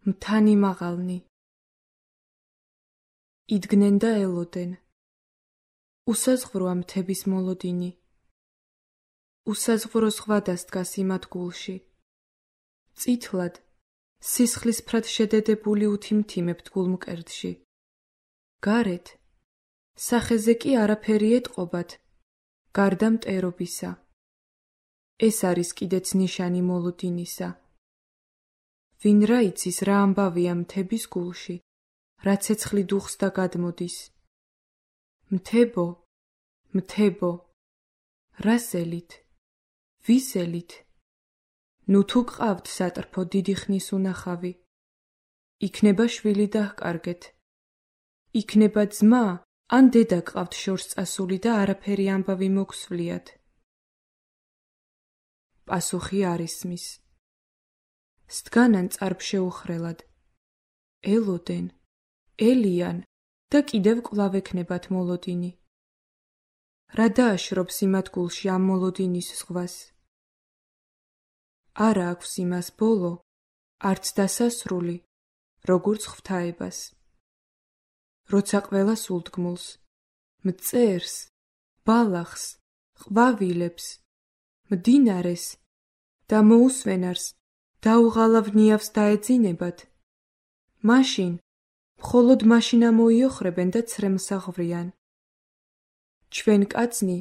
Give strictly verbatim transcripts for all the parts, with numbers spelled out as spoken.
მთანი მაღალნი. იდგნენ და ელოდენ. უსაზღვროა მთების მოლოდინი. უსაზღვრო ზღვა დასდგას იმათ გულში. წითლად, სისხლისფრად შედედებული უთიმთიმებთ გულმკერდში. გარეთ, სახეზე კი არაფერი ეტყობათ, გარდა მტერობისა. ეს არის კიდეც ნიშანი მოლოდინისა. ვინ რა იცის რა ამბავია მთების გულში, რა ცეცხლი დუხს და გადმოდის. მთებო, მთებო, რას ელით, ვის ელით? ნუ თუ გყავთ სატრფო დიდი ხნის უნახავი, იქნება შვილი დაჰკარგეთ. იქნება ძმა, ან დედა გყავთ შორს წასული და არაფერი ამბავი მოგსვლიათ. პასუხი არ ისმის. სდგანან წარბშეუხრელად. ელოდენ, ელიან და კიდევ კვლავ ექნებათ მოლოდინი. რა დააშრობს იმათ გულში ამ მოლოდინის ზღვას? არა აქვს იმას ბოლო, არც დასასრული, როგორც ღვთაებას. როცა ყველა სულდგმულს, მწერს, ბალახს, ყვავილებს, მდინარეს და მოუსვენარს დაუღალავ ნიავს დაეძინებათ, მაშინ, მხოლოდ მაშინ ამოიოხრებენ და ცრემლს აღვვრიან. ჩვენ კაცნი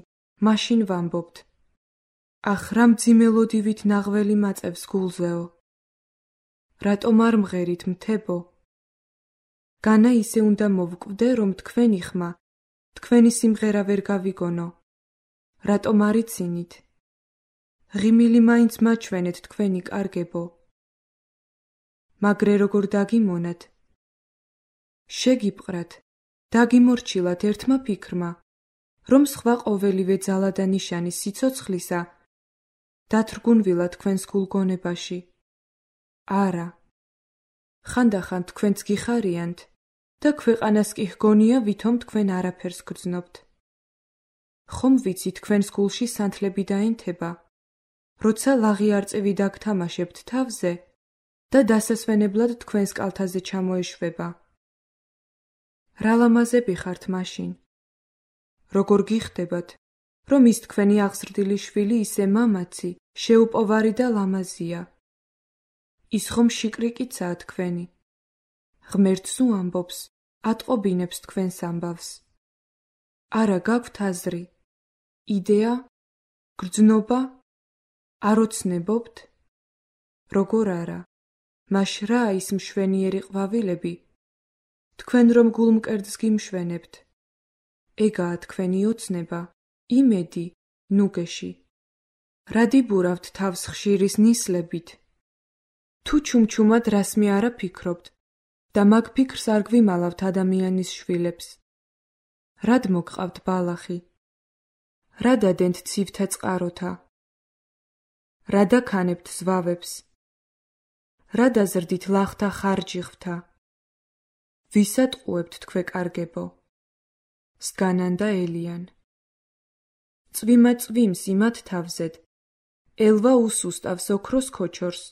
მაშინ ვამბობთ, ახ რა მძიმელოდივით ნაღველი მაწევს გულზეო. რატომ არ მღერით მთებო? განა ისე უნდა მოვკვდე, რომ თქვენი ხმა, თქვენი სიმღერა ვერ გავიგონო. რატომ არ იცინით? ღიმილი მაინც მაჩვენეთ თქვენი კარგებო. მაგრე როგორ დაგიმონათ? შეგიპყრათ, დაგიმორჩილათ ერთმა ფიქრმა, რომ სხვა ყოველივე ძალა და ნიშანი სიცოცხლისა დათრგუნვილა თქვენს გულგონებაში. არა, ხანდახან თქვენც გიხარიანთ და ქვეყანას კი ჰგონია, ვითომ თქვენ არაფერს გრძნობთ. ხომ ვიცი თქვენს გულში სანთლები დაინთება, როცა ლაღი არწივი დაგთამაშებთ თავზე და დასასვენებლად თქვენს კალთაზე ჩამოეშვება. რა ლამაზები ხართ მაშინ? როგორ გიხდებათ, რომ ის თქვენი აღზრდილი შვილი ისე მამაცი, შეუპოვარი და ლამაზია? ის ხომ შიკრიკიცაა თქვენი? ღმერთს უამბობს, ატყობინებს თქვენს ამბავს. არა გაქვთ აზრი, იდეა, გრძნობა? არ ოცნებობთ? როგორ არა, მაშ რა ის მშვენიერი ყვავილები, თქვენ რომ გულმკერდს გიმშვენებთ. ეგაა თქვენი ოცნება, იმედი, ნუგეში. რა დიბურავთ თავს ხშირის ნისლებით? თუ ჩუმჩუმად რასმე არა ფიქრობთ და მაგ ფიქრს არ გვიმალავთ ადამიანის შვილებს. რად მოგყავთ ბალახი? რა დადენთ ცივთა წყაროთა? რა დაქანებთ ზვავებს? რა დაზრდით ლახთა ხარჯი ღვთა? ვისად ყუებთ თქვენ კარგებო? სდგანან და ელიან. წვიმა წვიმს იმათ თავზედ, ელვა უსუსტავს ოქროს ქოჩორს,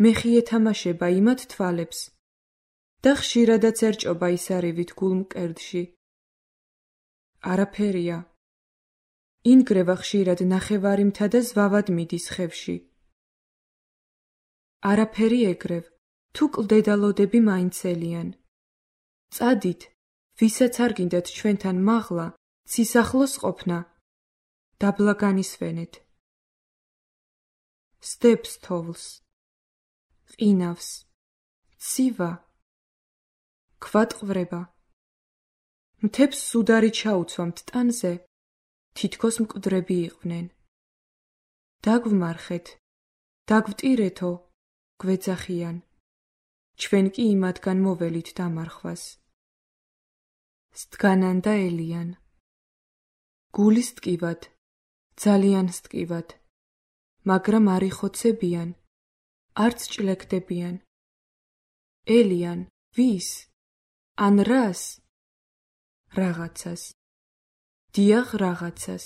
მეხი ეთამაშება იმათ თვალებს და ხშირადაც ერჭობა ისარივით გულმკერდში. არაფერია. ინგრევა ხშირად ნახევარიმთა და ზვავად მიდის ხევში. არაფერი ეგრევ, თუ კლდედალოდები მაინც ელიან. წადით, ვისაც არ გინდათ ჩვენთან მაღლა, ცისახლოს ყოფნა, დაბლა განისვენეთ. სტეპს თოვლს, ყინავს, ცივა, ქვატყვრება. მთებს სუდარი ჩაუცვამთ ტანზე, თითქოს მკვდრები იყვნენ. დაგვმარხეთ, დაგვტირეთო, გვეძახიან. ჩვენ კი იმათგან მოველით დამარხვას. სდგანან და ელიან. გულის ტკივად, ძალიან სტკივად, მაგრამ არ იხოცებიან, არც ჭლეკდებიან. ელიან, ვის? ან რას? რაღაცას. დიახ, რაღაცას.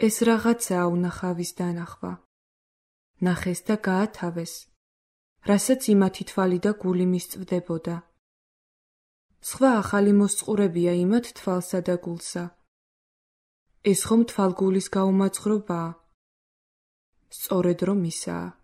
ეს რაღაცაა უნახავის დანახვა. ნახეს და გაათავეს. რასაც იმათი თვალი და გული მისწვდებოდა. სხვა ახალი მოსწყურებია იმათ თვალსა და გულსა. ეს ხომ თვალგულის გაუმაძღრობაა? სწორედ რომ ისაა.